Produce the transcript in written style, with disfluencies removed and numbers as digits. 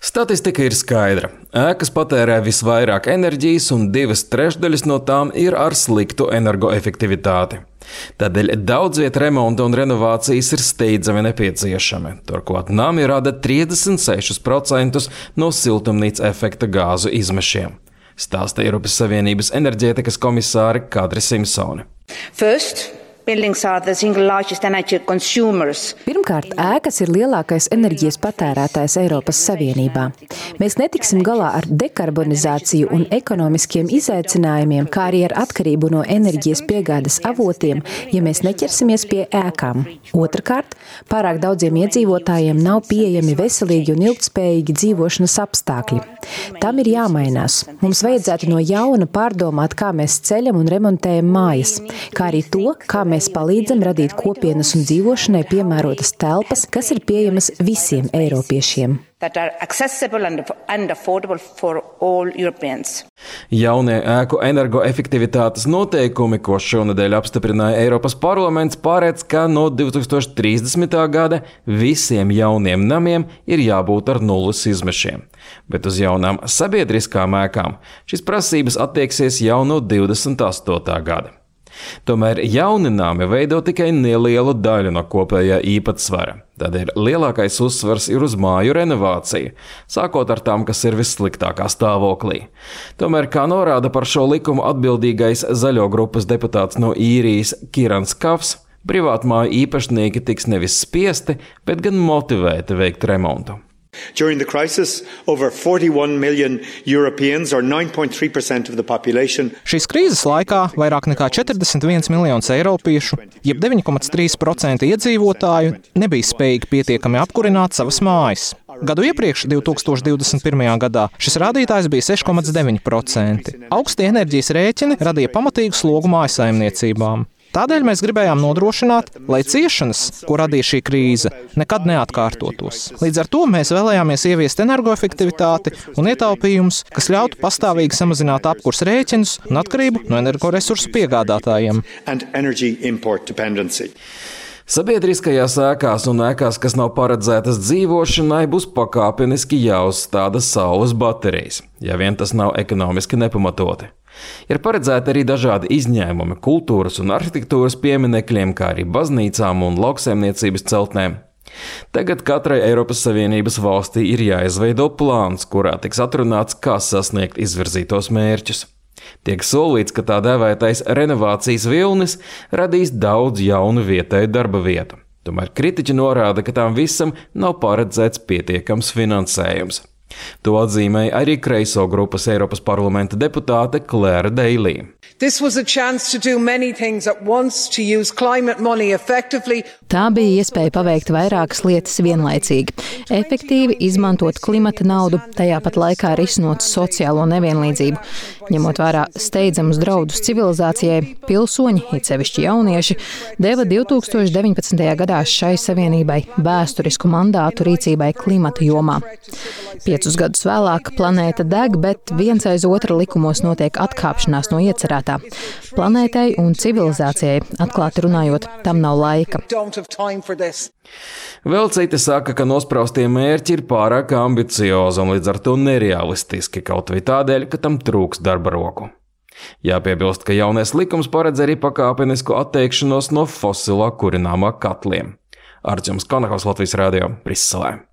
Statistika ir skaidra. Ēkas patērē visvairāk enerģijas, un 2/3 no tām ir ar sliktu energoefektivitāti. Tādēļ daudzviet remonta un renovācijas ir steidzami nepieciešami. Turklāt nami rada 36% no siltumnīca efekta gāzu izmešiem. Stāsta Eiropas Savienības enerģētikas komisāre Kadri Simpsone. Pirmkārt, ēkas ir lielākais enerģijas patērētājs Eiropas Savienībā. Mēs netiksim galā ar dekarbonizāciju un ekonomiskiem izaicinājumiem, kā arī ar atkarību no enerģijas piegādes avotiem, ja mēs neķersimies pie ēkām. Otrakārt, pārāk daudziem iedzīvotājiem nav pieejami veselīgi un ilgtspējīgi dzīvošanas apstākļi. Tam ir jāmainās. Mums vajadzētu no jauna pārdomāt, kā mēs ceļam un remontējam mājas, kā arī to, kā mēs palīdzam radīt kopienas un dzīvošanai piemērotas telpas, kas ir pieejamas visiem eiropiešiem. Jaunie ēku energoefektivitātes noteikumi, ko šonedēļ apstiprināja Eiropas parlaments, paredz, ka no 2030. gada visiem jauniem namiem ir jābūt ar nulles izmešiem. Bet uz jaunām sabiedriskām ēkām šīs prasības attieksies jau no 28. gada. Tomēr jauni nami veido tikai nelielu daļu no kopējā īpatsvara. Tādēļ lielākais uzsvars ir uz māju renovāciju, sākot ar tām, kas ir vissliktākā stāvoklī. Tomēr, kā norāda par šo likumu atbildīgais Zaļo grupas deputāts no Īrijas Kirans Kafs, privātmāju īpašnieki tiks nevis spiesti, bet gan motivēti veikt remontu. During the crisis, over 41 million Europeans, or 9.3% of the population. Šīs krīzes laikā vairāk nekā 41 miljonus eiropiešu, jeb 9,3% iedzīvotāju, nebija spējīgi pietiekami apkurināt savas mājas. Gadu iepriekš, 2021. gadā, šis rādītājs bija 6,9%. Augsti enerģijas rēķini radīja pamatīgu slogu mājsaimniecībām. Tādēļ mēs gribējām nodrošināt, lai ciešanas, ko radīja šī krīze, nekad neatkārtotos. Līdz ar to mēs vēlējāmies ieviest energoefektivitāti un ietaupījumus, kas ļautu pastāvīgi samazināt apkurs rēķinus un atkarību no energoresursu piegādātājiem. Sabiedriskajās ēkās un ēkās, kas nav paredzētas dzīvošanai, būs pakāpeniski jāuzstāda saules baterijas, ja vien tas nav ekonomiski nepamatoti. Ir paredzēti arī dažādi izņēmumi kultūras un arhitektūras pieminekļiem, kā arī baznīcām un lauksaimniecības celtnēm. Tagad katrai Eiropas Savienības valstī ir jāizveido plāns, kurā tiks atrunāts, kā sasniegt izvirzītos mērķus. Tiek solīts, ka tā dēvētais renovācijas vilnis radīs daudz jaunu vietēju darba vietu. Tomēr kritiķi norāda, ka tām visam nav paredzēts pietiekams finansējums. To atzīmēja arī kreiso grupas Eiropas parlamenta deputāte Claire Daly. Tā bija iespēja paveikt vairākas lietas vienlaicīgi. Efektīvi izmantot klimata naudu, tajā pat laikā risinot sociālo nevienlīdzību. Ņemot vērā steidzamus draudus civilizācijai, pilsoņi, it sevišķi jaunieši, deva 2019. gadā šai savienībai vēsturisku mandātu rīcībai klimata jomā. 5 gadus vēlāk planēta deg, bet viens aiz otra likumos notiek atkāpšanās no iecerētā. Planētai un civilizācijai, atklāti runājot, tam nav laika. Vēl citi saka, ka nospraustie mērķi ir pārāk ambiciozi un līdz ar to nerealistiski, kaut vai tādēļ, ka tam trūks darba roku. Jāpiebilst, ka jaunais likums paredz arī pakāpenisku atteikšanos no fosilā kurināmā katliem. Artjoms Konakovs, Latvijas radio, Briselē.